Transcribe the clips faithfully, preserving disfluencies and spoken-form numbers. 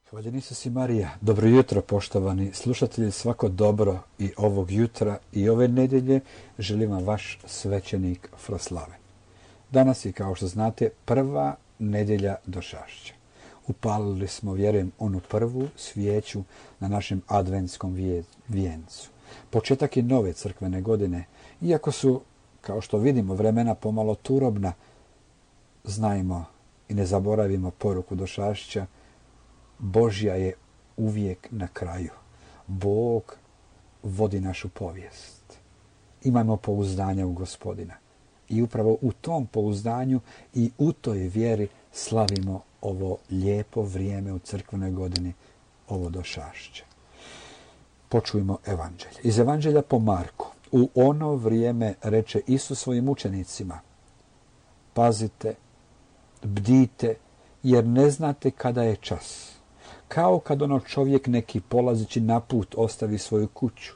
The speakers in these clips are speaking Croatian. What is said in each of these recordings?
Hvaljen Isus i Marija. Dobro jutro, poštovani slušatelji, svako dobro i ovog jutra i ove nedjelje želim vam vaš svećenik Froslaven. Danas je, kao što znate, prva nedjelja Došašća. Upalili smo, vjerujem, onu prvu svijeću na našem adventskom vijencu. Početak je nove crkvene godine, iako su, kao što vidimo, vremena pomalo turobna, znajmo i ne zaboravimo poruku Došašća: Božja je uvijek na kraju. Bog vodi našu povijest. Imamo pouzdanja u Gospodina. I upravo u tom pouzdanju i u toj vjeri slavimo ovo lijepo vrijeme u crkvenoj godini, ovo Došašće. Počujmo evanđelje. Iz evanđelja po Marku. U ono vrijeme reče Isus svojim učenicima: pazite, bdite, jer ne znate kada je čas. Kao kad ono čovjek neki polazeći na put ostavi svoju kuću,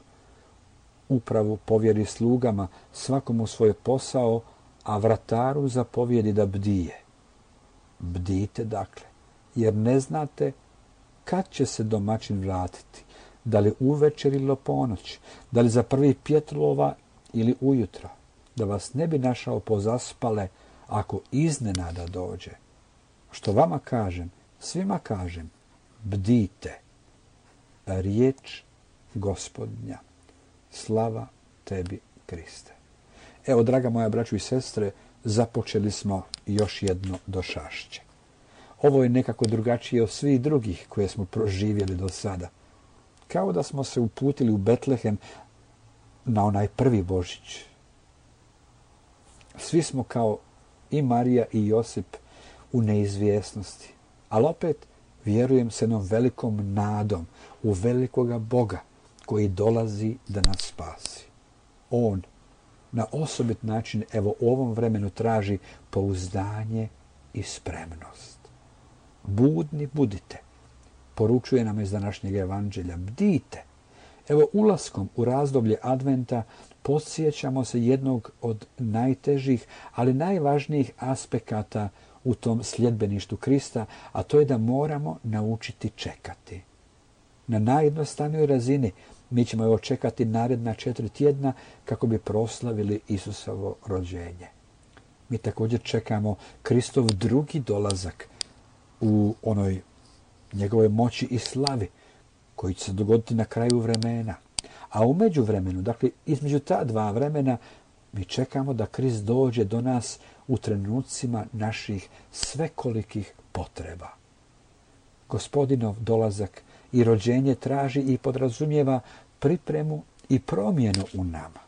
upravu povjeri slugama, svakomu svoj posao, a vrataru zapovjedi da bdije. Bdite dakle, jer ne znate kad će se domaćin vratiti, da li uvečer ili ponoć, da li za prvi pjetlova ili ujutro, da vas ne bi našao pozaspale ako iznenada dođe. Što vama kažem, svima kažem, bdite. Riječ Gospodnja. Slava tebi, Kriste. Evo, draga moja braćo i sestre, započeli smo još jedno Došašće. Ovo je nekako drugačije od svih drugih koje smo proživjeli do sada. Kao da smo se uputili u Betlehem na onaj prvi Božić. Svi smo kao i Marija i Josip u neizvjesnosti, ali opet vjerujem s jednom velikom nadom u velikoga Boga koji dolazi da nas spasi. On na osobit način, evo, u ovom vremenu traži pouzdanje i spremnost. Budni budite, poručuje nam iz današnjeg evanđelja. Bdite. Evo, ulaskom u razdoblje Adventa podsjećamo se jednog od najtežih, ali najvažnijih aspekata u tom sljedbeništvu Krista, a to je da moramo naučiti čekati. Na najjednostavnijoj razini mi ćemo evo čekati naredna četiri tjedna kako bi proslavili Isusovo rođenje. Mi također čekamo Kristov drugi dolazak u onoj njegovoj moći i slavi koji će se dogoditi na kraju vremena. A u međuvremenu, dakle između ta dva vremena, mi čekamo da Krist dođe do nas u trenucima naših svekolikih potreba. Gospodinov dolazak i rođenje traži i podrazumijeva pripremu i promjenu u nama.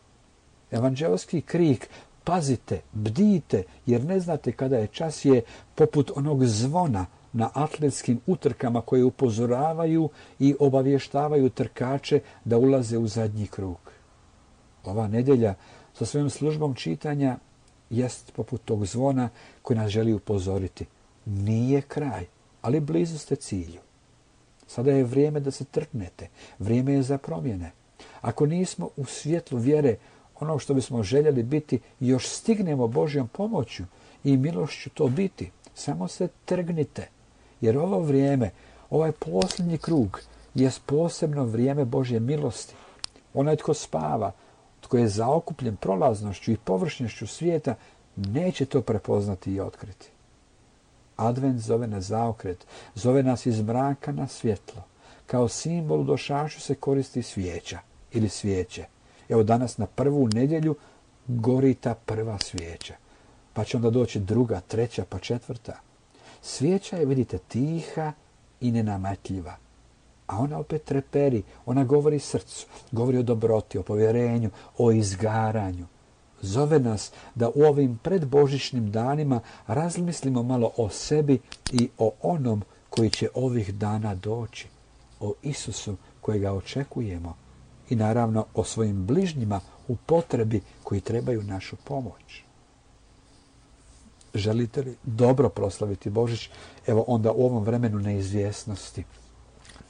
Evanđelski krik pazite, bdijte, jer ne znate kada je čas, je poput onog zvona na atletskim utrkama koje upozoravaju i obavještavaju trkače da ulaze u zadnji krug. Ova nedjelja sa svojom službom čitanja jest poput tog zvona koji nas želi upozoriti. Nije kraj, ali blizu ste cilju. Sada je vrijeme da se trgnete, vrijeme je za promjene. Ako nismo u svjetlu vjere ono što bismo željeli biti, još stignemo Božjom pomoću i milošću to biti. Samo se trgnite, jer ovo vrijeme, ovaj posljednji krug, je posebno vrijeme Božje milosti. Onaj tko spava, tko je zaokupljen prolaznošću i površnošću svijeta, neće to prepoznati i otkriti. Advent zove na zaokret, zove nas iz mraka na svjetlo. Kao simbol u Došašću se koristi svijeća ili svijeće. Evo, danas na prvu nedjelju gori ta prva svijeća. Pa će onda doći druga, treća, pa četvrta. Svijeća je, vidite, tiha i nenametljiva. A ona opet treperi, ona govori srcu, govori o dobroti, o povjerenju, o izgaranju. Zove nas da u ovim predbožićnim danima razmislimo malo o sebi i o onom koji će ovih dana doći. O Isusu kojega očekujemo i naravno o svojim bližnjima u potrebi koji trebaju našu pomoć. Želite li dobro proslaviti Božić? Evo onda u ovom vremenu neizvjesnosti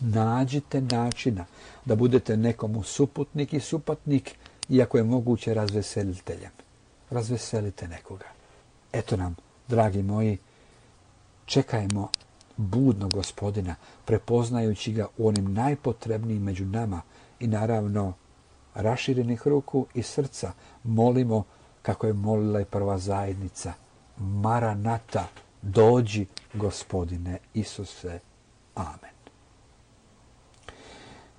nađite načina da budete nekomu suputnik i supatnik, iako je moguće razveseliteljem. Razveselite nekoga. Eto nam, dragi moji, čekajmo budnog Gospodina, prepoznajući ga u onim najpotrebnijim među nama i naravno raširenih ruku i srca molimo kako je molila i prva zajednica. Maranata, dođi Gospodine Isuse. Amen.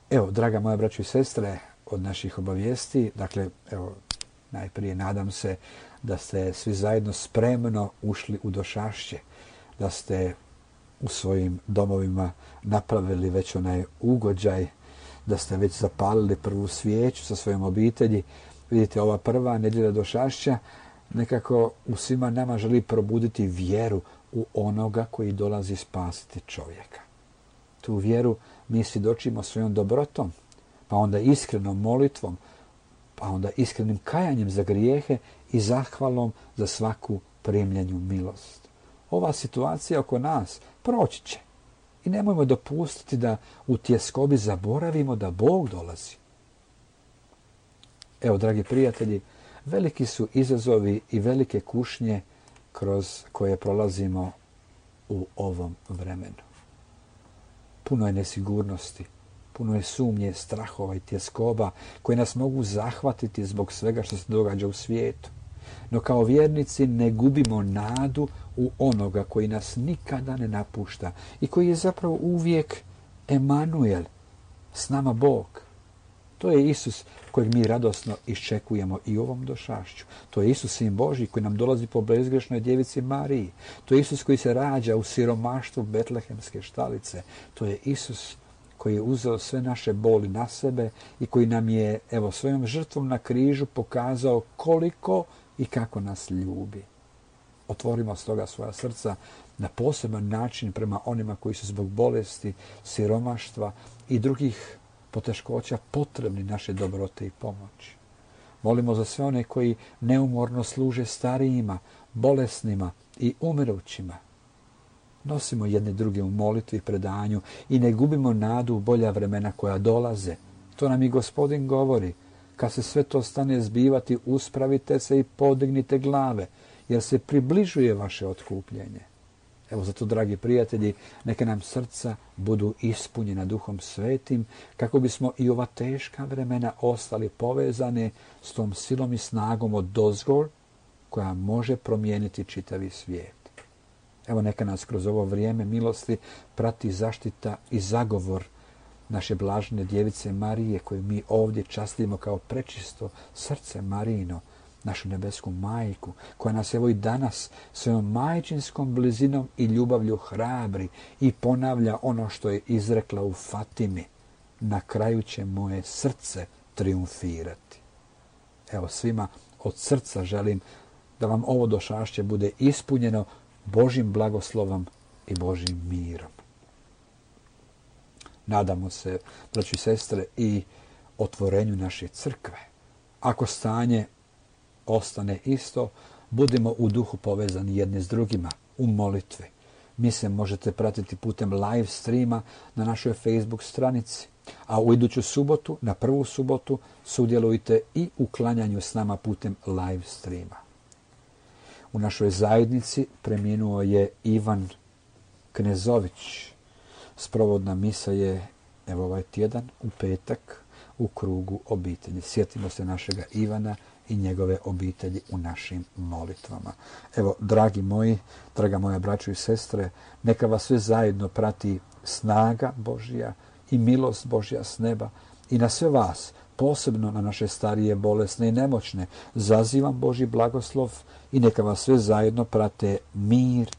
Evo, draga moja braćo i sestre, od naših obavijesti, dakle, evo, najprije nadam se da ste svi zajedno spremno ušli u došašće, da ste u svojim domovima napravili već onaj ugođaj, da ste već zapalili prvu svijeću sa svojom obitelji. Vidite, ova prva nedjelja došašća nekako u svima nama želi probuditi vjeru u onoga koji dolazi spasiti čovjeka. Tu vjeru mi svjedočimo svojom dobrotom, pa onda iskrenom molitvom, pa onda iskrenim kajanjem za grijehe i zahvalom za svaku primljenju milost. Ova situacija oko nas proći će i nemojmo dopustiti da u tjeskobi zaboravimo da Bog dolazi. Evo, dragi prijatelji, veliki su izazovi i velike kušnje kroz koje prolazimo u ovom vremenu. Puno je nesigurnosti, puno je sumnje, strahova i tjeskoba koje nas mogu zahvatiti zbog svega što se događa u svijetu. No kao vjernici ne gubimo nadu u onoga koji nas nikada ne napušta i koji je zapravo uvijek Emanuel, s nama Bog. To je Isus kojeg mi radosno iščekujemo i u ovom došašću. To je Isus, Sin Božji, koji nam dolazi po bezgrešnoj djevici Mariji. To je Isus koji se rađa u siromaštvu betlehemske štalice. To je Isus koji je uzeo sve naše boli na sebe i koji nam je, evo, svojom žrtvom na križu pokazao koliko i kako nas ljubi. Otvorimo stoga svoja srca na poseban način prema onima koji su zbog bolesti, siromaštva i drugih poteškoća potrebni naše dobrote i pomoći. Molimo za sve one koji neumorno služe starijima, bolesnima i umirućima. Nosimo jedni druge u molitvi i predanju i ne gubimo nadu u bolja vremena koja dolaze. To nam i Gospodin govori. Kad se sve to stane zbivati, uspravite se i podignite glave, jer se približuje vaše otkupljenje. Evo zato, dragi prijatelji, neka nam srca budu ispunjena Duhom Svetim, kako bismo i ova teška vremena ostali povezane s tom silom i snagom od dozgor koja može promijeniti čitavi svijet. Evo neka nas kroz ovo vrijeme milosti prati zaštita i zagovor naše blažene djevice Marije, koju mi ovdje častimo kao prečisto srce Marijino, našu nebesku majku, koja nas evo i danas svojom majčinskom blizinom i ljubavlju hrabri i ponavlja ono što je izrekla u Fatimi. Na kraju će moje srce triumfirati. Evo, svima od srca želim da vam ovo došašće bude ispunjeno Božjim blagoslovom i Božjim mirom. Nadamo se, braći i sestre, i otvorenju naše crkve. Ako stanje ostane isto, budimo u duhu povezani jedni s drugima u molitvi. Mi se možete pratiti putem live streama na našoj Facebook stranici, a u iduću subotu, na prvu subotu, sudjelujte i u klanjanju s nama putem live streama. U našoj zajednici preminuo je Ivan Knezović. Sprovodna misa je, evo, ovaj tjedan u petak u krugu obitelji. Sjetimo se našega Ivana i njegove obitelji u našim molitvama. Evo, dragi moji, draga moja braćo i sestre, neka vas sve zajedno prati snaga Božja i milost Božja s neba i na sve vas, posebno na naše starije, bolesne i nemoćne, zazivam Božji blagoslov i neka vas sve zajedno prate mir